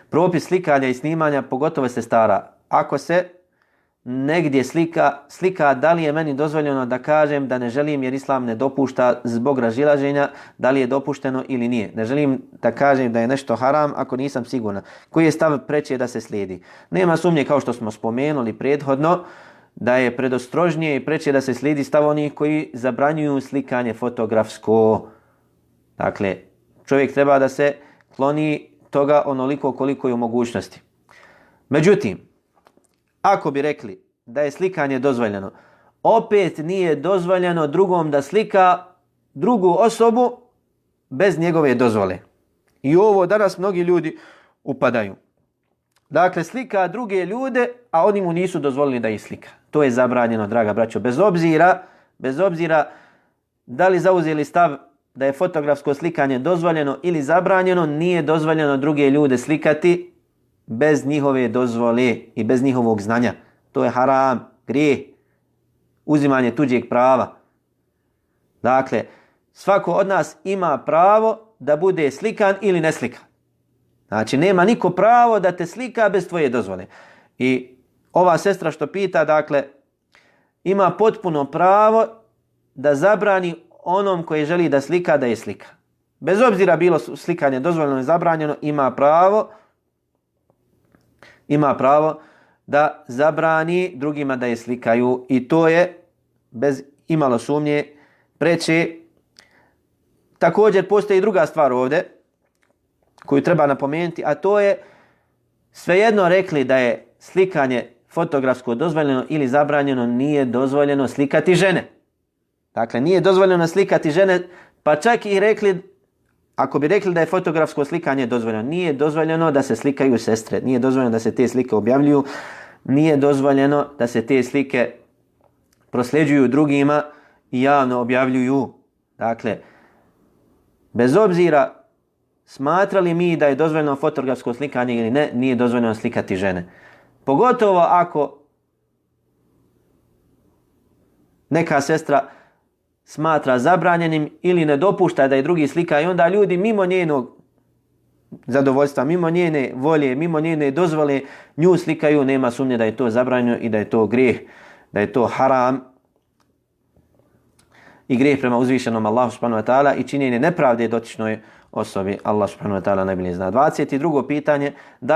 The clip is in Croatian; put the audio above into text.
propis slikanja i snimanja, pogotovo sestara. Ako se negdje slika, da li je meni dozvoljeno da kažem da ne želim jer Islam ne dopušta zbog razilaženja, da li je dopušteno ili nije. Ne želim da kažem da je nešto haram ako nisam siguran. Koji je stav preče da se slijedi? Nema sumnje, kao što smo spomenuli prethodno, da je predostrožnije i preče da se slijedi stav onih koji zabranjuju slikanje fotografsko. Dakle, čovjek treba da se kloni toga onoliko koliko je u mogućnosti. Međutim, ako bi rekli da je slikanje dozvoljeno, opet nije dozvoljeno drugom da slika drugu osobu bez njegove dozvole. I ovo danas mnogi ljudi upadaju. Dakle, slika druge ljude, a oni mu nisu dozvolili da ih slika. To je zabranjeno, draga braćo. Bez obzira da li zauzeli stav da je fotografsko slikanje dozvoljeno ili zabranjeno, nije dozvoljeno druge ljude slikati bez njihove dozvole i bez njihovog znanja. To je haram, grijeh, uzimanje tuđeg prava. Dakle, svako od nas ima pravo da bude slikan ili ne slikan. Znači, nema niko pravo da te slika bez tvoje dozvole. I ova sestra što pita, dakle, ima potpuno pravo da zabrani onom koji želi da slika, da je slika. Bez obzira bilo slikanje dozvoljeno ili zabranjeno, ima pravo da zabrani drugima da je slikaju. I to je, bez imalo sumnje, preče. Također postoji druga stvar ovdje koju treba napomenuti, a to je svejedno rekli da je slikanje fotografsko dozvoljeno ili zabranjeno, nije dozvoljeno slikati žene. Dakle, nije dozvoljeno slikati žene, pa čak i rekli, ako bi rekli da je fotografsko slikanje dozvoljeno, nije dozvoljeno da se slikaju sestre, nije dozvoljeno da se te slike objavljuju, nije dozvoljeno da se te slike prosljeđuju drugima i javno objavljuju. Dakle, bez obzira smatrali mi da je dozvoljeno fotografsko slikanje ili ne, nije dozvoljeno slikati žene. Pogotovo ako neka sestra smatra zabranjenim ili ne dopušta da je drugi slika i onda ljudi mimo njenog zadovoljstva, mimo njene volje, mimo njene dozvole nju slikaju, nema sumnje da je to zabranjeno i da je to grijeh, da je to haram i grijeh prema uzvišenom Allahu subhanahu wa ta'ala i činjenje nepravde dotičnoj osobi. Allah subhanahu wa ta'ala najbolje zna. 22. pitanje, da